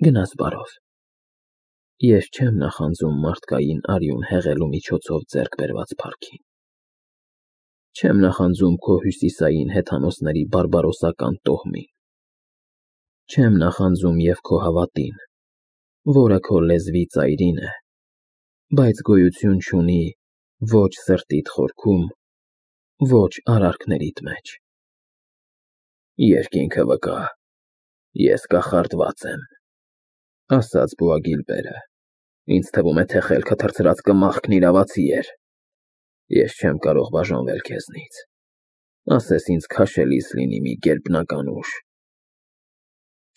Գնաս բարով։ Ես չեմ նախանձում մարդկային արյուն հեղելու միջոցով ձեռք բերված փառքին։ Չեմ նախանձում քո հյուսիսային հեթանոսների բարբարոսական տոհմին։ Չեմ նախանձում և քո հավատին, որը քո լեզվի ծայրին է, բայց գոյություն չունի ոչ սրտիդ խորքում, ոչ արարքներիդ մեջ։ Երկինքը վկա, ես կախարդված եմ, ասաց Բոագիլբերը, ինձ թվում է, թե խելքը թռցրած կմախքն իրավացի էր։ Ես չեմ կարող բաժանվել քեզնից, ասես ինձ քաշելիս լինի մի գերբնական ուժ։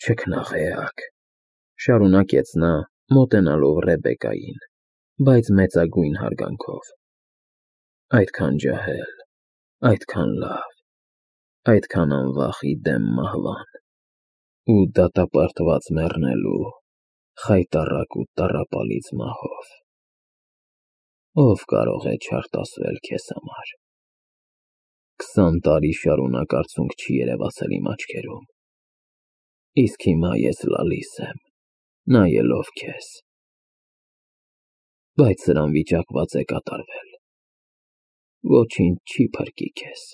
Չքնաղեակ, շարունակեց նա, մոտենալով Ռեբեկային, բայց մեծագույն հարգանքով, այդքան ջահել, այդքան լավ, այդքան անվախ ի դեմ մահվան ու դատապարտված մեռնելու խայտառակ ու տառապալից մահով։ Ով կարող է չարտասվել քեզ համար։ 20 տարի շարունակ արցունք չի երևացել իմ աչքերում, իսկ հիմա ես լալիս եմ, նայելով քեզ, բայց սրան վիճակված է կատարվել, ոչինչ չի փրկի քեզ։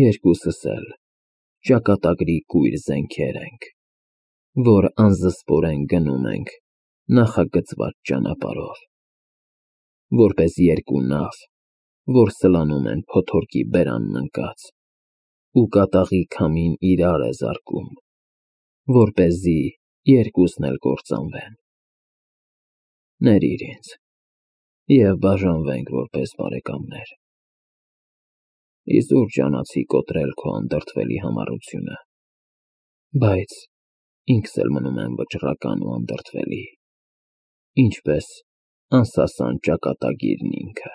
Երկուսս էլ ճակատագրի կույր զենքեր ենք, որ անզսպորեն գնում ենք նախագծված ճանապարհով, որպես երկու նավ, որ սլանում են փոթորկի բերանն ընկած, ու կատաղի քամին իրար է զարկում, որպեսզի երկուսն էլ կործանվեն։ Ներիր ինձ և բաժանվենք որպես բարեկամներ։ Իզուր ջանացի կոտրել քո անդրդվելի համառությունը, բայց ինքս էլ մնում եմ վճռական ու անդրդվելի, ինչպես անսասան ճակատագիրն ինքը։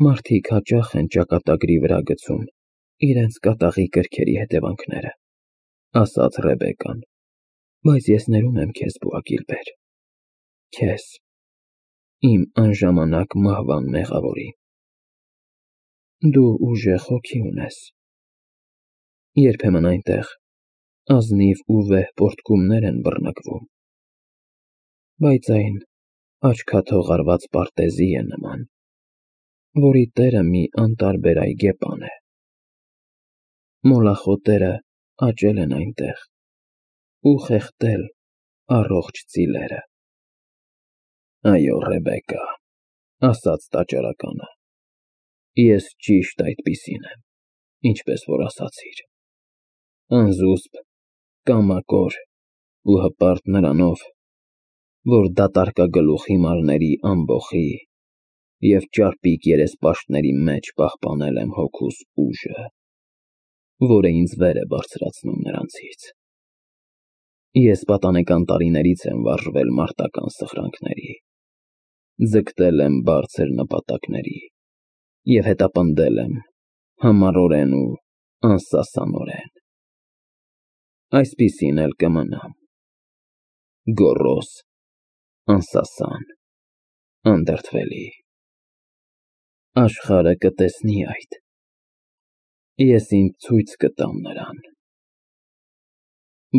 Մարդիկ հաճախ են ճակատագրի վրա գցում իրենց կատաղի կրքերի հետևանքները, ասաց Ռեբեկան, բայց ես ներում եմ քեզ, Բոագիլբեր, քեզ, իմ անժամանակ մահվան մեղավորին։ Դու ուժեղ հոգի ունես, երբեմն այնտեղ ազնիվ ու վեհ պոռթկումներ են բռնկվում, բայց այն աչքաթող արված պարտեզի է նման, որի տերը մի անտարբեր այգեպան է։ Մոլախոտերը աճել են այնտեղ ու խեղդել առողջ ծիլերը։ Այո, Ռեբեկա, ասաց տաճարականը, ես ճիշտ այդպիսին եմ, ինչպես որ ասացիր, անզուսպ, կամակոր ու հպարտ նրանով, որ դատարկագլուխ հիմարների ամբոխի և ճարպիկ երեսպաշտների մեջ պահպանել եմ հոգուս ուժը, որը ինձ վեր է բարձրացնում նրանցից։ Ես պատանեկան տարիներից եմ վարժվել մարտական սխրանքների, ձգտել եմ բարձր նպատակների և հետապնդել եմ համառորեն ու անսասանորեն։ Այսպիսին էլ կմնամ, գոռոզ, անսասան, անդրդվելի։ Աշխարհը կտեսնի այդ, ես ինձ ցույց կտամ նրան,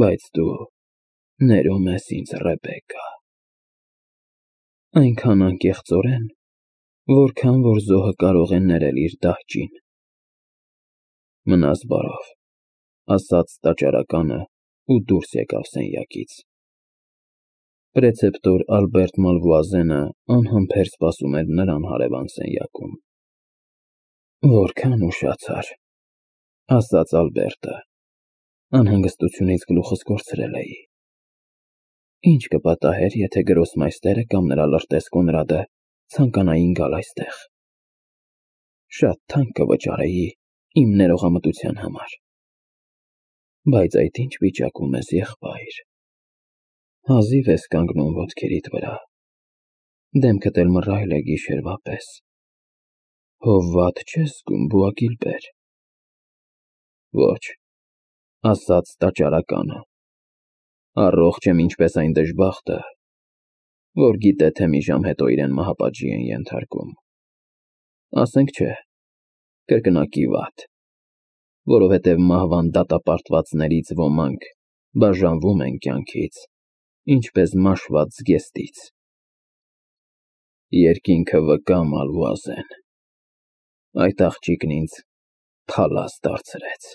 բայց դու ներում ես ինձ, Ռեբեկա, այնքան անկեղծորեն, որքան որ զոհը կարող է ներել իր դահճին։ Մնաս բարով, ասաց տաճարականը ու դուրս եկավ սենյակից։ Պրեցեպտոր Ալբերտ Մալվուազենը անհամբեր սպասում էր նրան հարևան սենյակում։ Որքան ուշացար, ասաց Ալբերտը, անհանգստությունից գլուխս կորցրել էի։ Ինչ կպատահեր, եթե գրոսմայստերը կամ նրա լրտես Կոնրադը ցանկանային գալ այստեղ։ Շատ թանկ կվճարեի իմ ներողամտության համար։ Բայց այդ ինչ վիճակում ես, եղբայր։ Հազիվ ես կանգնում ոտքերիդ վրա, դեմքդ էլ մռայլ է գիշերվա պես։ Հո վատ չես զգում, Բոագիլբեր։ Ոչ, ասաց տաճարականը, առողջ եմ ինչպես այն դժբախտը, որ գիտե, թե մի ժամ հետո իրեն մահապատժի են ենթարկում։ Ասենք չէ, կրկնակի վատ, որովհետև մահվան դատապարտվածներից ոմանք բաժանվում են կյանքից, ինչպես մաշված զգեստից։ Երկինքը վկա, Մալվուազեն, այդ աղջիկն ինձ փալաս դարձրեց։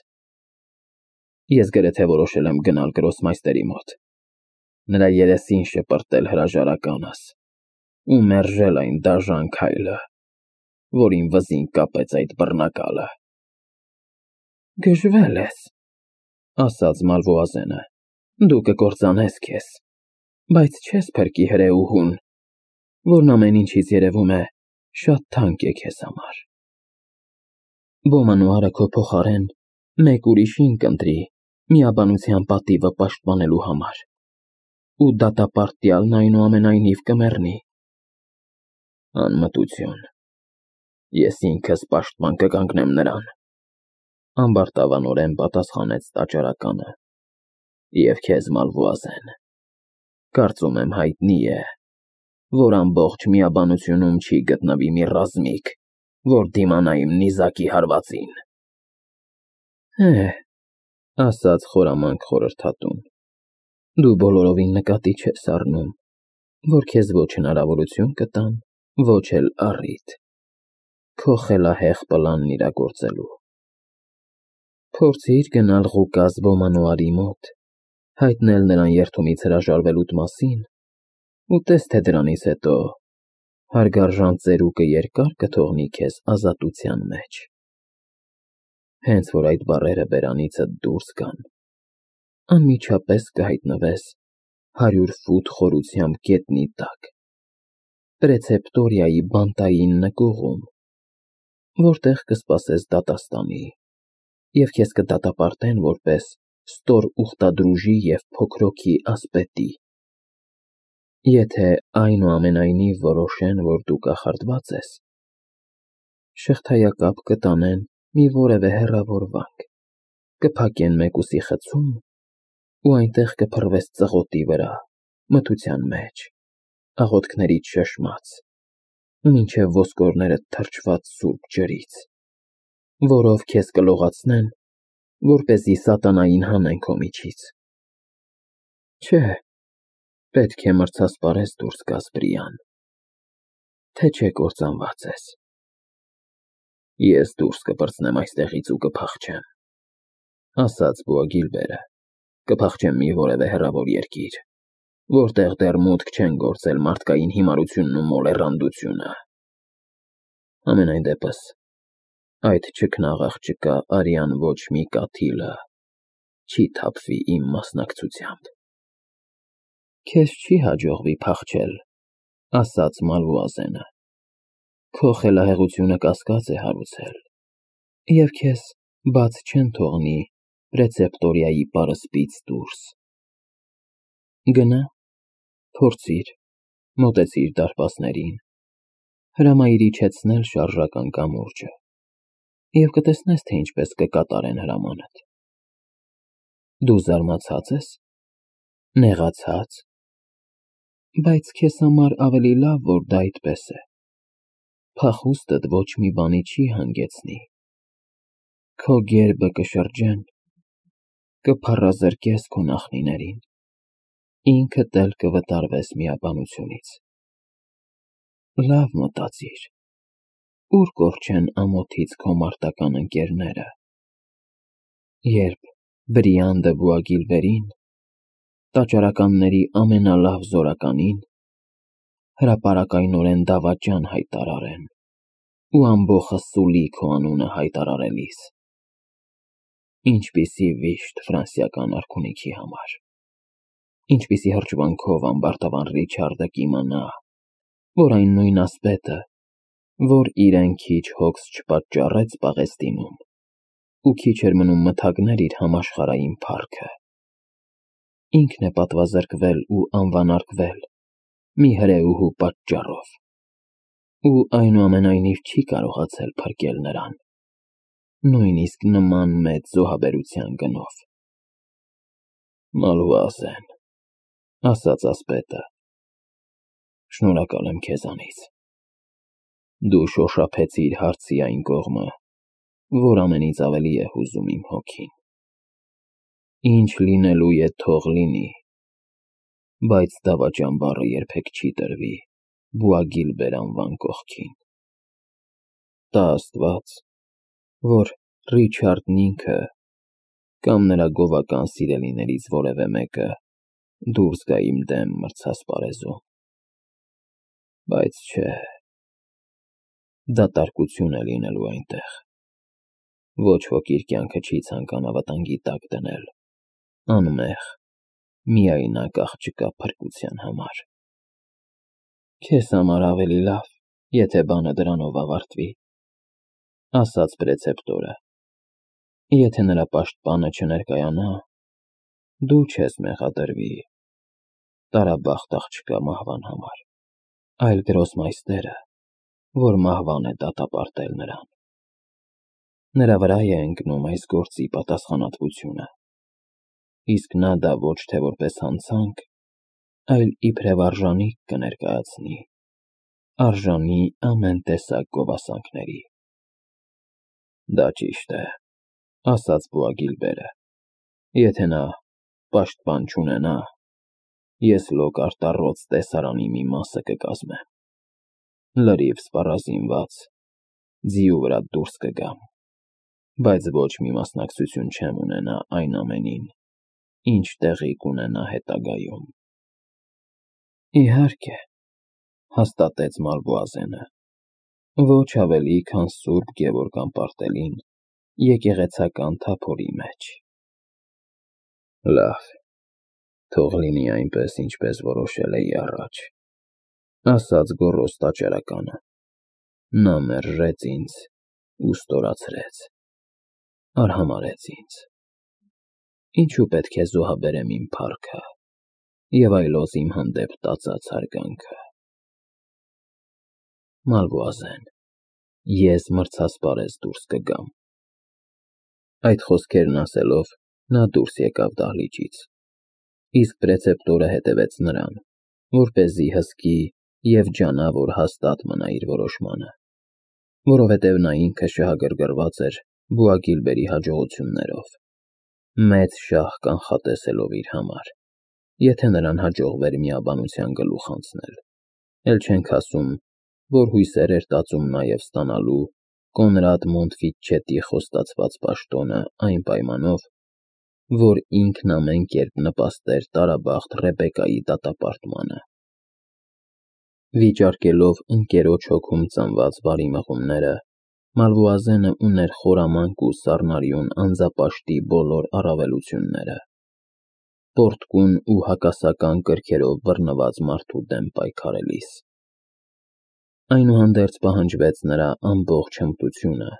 Ես գրեթե որոշել եմ գնալ գրոսմայստերի մոտ, նրա երեսին շպրտել հրաժարականս ու մերժել այն դաժան քայլը, որին վզին կապեց այդ բռնակալը։ Գժվել ես, ասաց Մալվուազենը, դու կկործանես քեզ, բայց չես փրկի հրեուհուն, որն ամեն ինչից երևում է շատ թանկ է քեզ համար։ Բոմանուարը քո փոխարեն մեկ ուրիշին կընտրի միաբանության պատիվը պաշտպանելու համար, ու դատապարտյալն այնուամենայնիվ կմեռնի։ Անմտություն, ես ինքս պաշտպան կկանգնեմ նրան, ամբարտավանորեն պատասխանեց տաճարականը, և քեզ, Մալվուազեն, կարծում եմ հայտնի է, որ ամբողջ միաբանությունում չի գտնվի մի ռազմիկ, որ դիմանա իմ նիզակի հարվածին։ Ասաց խորամանկ խորհրդատուն, դու բոլորովին նկատի չես առնում, որ քեզ ոչ հնարավորություն կտան, ոչ էլ առիթ քո խելահեղ պլանն իրագործելու։ Փորձիր գնալ Ղուկաս Բոմանուարի մոտ, հայտնել նրան երդումից հրաժարվելուդ մասին ու տես թե դրանից հետո հարգարժան ծերուկը երկար կթողնի քեզ ազատության մեջ։ Հենց որ այդ բառերը բերանիցդ դուրս գան, անմիջապես կհայտնվես 100 ֆուտ խորությամբ գետնի տակ, Պրեցեպտորիայի բանտային նկուղում, որտեղ կսպասես դատաստանի, և քեզ կդատապարտեն որպես ստոր ուխտադրուժի և փոքրոքի ասպետի։ Եթե այնուամենայնիվ որոշեն, որ դու կախարդված ես, շղթայակապ կտանեն մի որևէ հեռավոր վանք, կփակեն մեկուսի խցում ու այնտեղ կփռվես ծղոտի վրա, մթության մեջ, աղոթքներիդ շշմած, մինչև ոսկորներդ թրջված սուրբ ջրից, որով քեզ կլողացնեն, որպեսզի սատանային հանեն քո միջից։ Չէ, պետք է մրցասպարես դուրս գաս բրիան, թե չէ կործանված ես։ Ես դուրս կպրծնեմ այստեղից ու կփախչեմ, ասաց Բուագիլբերը, կփախչեմ մի որևէ հեռավոր երկիր, որտեղ դեռ մուտք չեն գործել մարդկային հիմարությունն ու մոլեռանդությունը։ Համենայն դեպս, այդ չքնաղ աղջկա արյան ոչ մի կաթիլը չի թափվի իմ մասնակցությամբ։ Քեզ չի հաջողվի փախչել, ասաց Մալվուազենը, քո խելահեղությունը կասկած է հարուցել, և քեզ բաց չեն թողնի Պրեցեպտորիայի պարսպից դուրս։ Գնա, փորձիր, մոտեցիր դարպասներին, հրամայիր իջեցնել շարժական կամուրջը, և կտեսնես, թե ինչպես կկատարեն հրամանդ։ Դու զարմացած ես, նեղացա՞ծ, բայց քեզ համար ավելի լավ, որ դա այդպես է։ Փախուստդ ոչ մի բանի չի հանգեցնի, քո գերբը կշրջեն, կփառազրկես քո նախնիներին, ինքդ էլ կվտարվես միաբանությունից։ Լավ մտածիր, ուր կորչեն ամոթից քո մարտական ընկերները, երբ Բրիան դը Բուագիլբերին, տաճարականների ամենալավ զորականին, հրապարակայնորեն դավաճան հայտարարեն ու ամբոխը սուլի քո անունը հայտարարելիս։ Ինչպիսի վիշտ ֆրանսիական արքունիքի համար, ինչպիսի հրճվանքով ամբարտավան Ռիչարդը կիմանա, որ այն նույն ասպետը, որ իրեն քիչ հոգս չպատճառեց Պաղեստինում, ու քիչ էր մնում մթագներ իր համաշխարհային փառքը, ինքն է պատվազրկվել ու անվանարկվել մի հրեուհու պատճառով, ու այնուամենայնիվ չի կարողացել փրկել նրան, նույնիսկ նման մեծ զոհաբերության գնով։ Մալվուազեն, ասաց ասպետը, շնորհակալ եմ քեզանից։ Դու շոշափեցիր հարցի այն կողմը, որ ամենից ավելի է հուզում իմ հոգին։ Ինչ լինելու է թող լինի, բայց դավաճան բառը երբեք չի տրվի Բուագիլբեր անվան կողքին։ Տա Աստված, որ Ռիչարդն ինքը կամ նրա գովական սիրելիներից որևէ մեկը դուրս գա իմ դեմ մրցասպարեզում։ Բայց չէ, դատարկություն է լինելու այնտեղ։ Ոչ ոք իր կյանքը չի ցանկանա վտանգի տակ դնել, անմեղ, միայնակ աղջկա փրկության համար։ Քեզ համար ավելի լավ, եթե բանը դրանով ավարտվի, ասաց պրեցեպտորը։ Եթե նրա պաշտպանը չներկայանա, դու չես մեղադրվի տարաբախտ աղջկա մահվան համար, այլ գրոսմայստերը, որ մահվան է դատապարտել նրան։ Նրա վրա է ընկնում այս գործի պատասխանատվությունը, իսկ նա դա ոչ թե որպես հանցանք, այլ իբրև արժանիք կներկայացնի, արժանի ամեն տեսակ գովասանքների։ Դա ճիշտ է, ասաց Բուագիլբերը, եթե նա պաշտպան չունենա, ես լոկ-արտառոց տեսարանի մի մասը կկազմեմ, լրիվ սպառազինված, ձիու վրա դուրս կգամ, բայց ոչ մի մասնակցություն չեմ ունենա այն ամենին, ինչ տեղի կունենա հետագայում։ Իհարկե, հաստատեց Մալվոազենը, ոչ ավելի, քան Սուրբ Գևորգ Ամպարտելին եկեղեցական թափորի մեջ։ Լավ, թող լինի այնպես, ինչպես որոշել էի առաջ, ասաց գոռոզ տաճարականը։ Նա մերժեց ինձ ու ստորացրեց, արհամարհեց ինձ։ Ինչու պետք է զոհաբերեմ իմ փառքը և այլոց իմ հանդեպ տածած հարգանքը։ Մալվոազեն, ես մրցասպարեզ դուրս կգամ։ Այդ խոսքերն ասելով, նա դուրս եկավ դահլիճից, իսկ պրեցեպտորը հետևեց նրան, որպեսզի հսկի և ջանա, որ հաստատ մնա իր որոշմանը, որովհետև նա ինքը շահագրգռված էր Բուագիլբերի հաջողություններով, մեծ շահ կանխատեսելով իր համար, եթե նրան հաջողվեր միաբանության գլուխ անցնել, էլ չենք ասում, որ հույսեր էր տածում նաև ստանալու Կոնրադ Մոնտֆիչետի խոստացված պաշտոնը այն պայմանով, որ ինքն ամեն կերպ նպաստեր տարաբախտ Ռեբեկայի դատապարտմանը։ Վիճարկելով ընկերոջ հոգում ծնված բարի մղումները, Մալվոազենը ուներ խորամանկ ու սառնարյուն անձապաշտի բոլոր առավելությունները, պոռթկուն ու հակասական կրքերով բռնված մարդու դեմ պայքարելիս։ Այնուհանդերձ պահանջվեց նրա ամբողջ հմտությունը,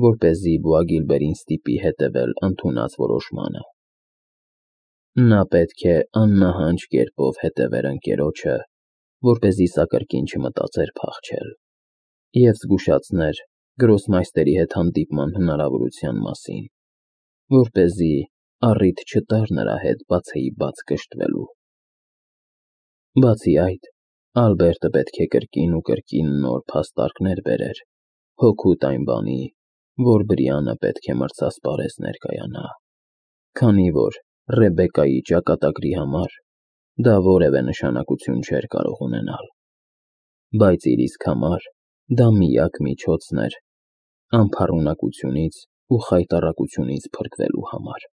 որպեսզի Բուագիլբերին ստիպի հետևել ընդունած որոշմանը։ Նա պետք է աննահանջ կերպով հետևեր ընկերոջը, որպեսզի սա կրկին չմտածեր փախչել, և զգուշացներ գրոսմայստերի հետ հանդիպման հնարավորության մասին, որպեսզի առիթ չտար նրա հետ բացեիբաց կշտվելու։ Բացի այդ, Ալբերտը պետք է կրկին ու կրկին նոր փաստարկներ բերեր, հօգուտ այն բանի, որ Բրիանը պետք է մրցասպարեզ ներկայանա, քանի որ Ռեբեկայի ճակատագրի համար դա որևէ նշանակություն չէր կարող ունենալ, բայց իր իսկ համար դա միակ միջոցն էր անփառունակությունից ու խայտառակությունից փրկվելու համար։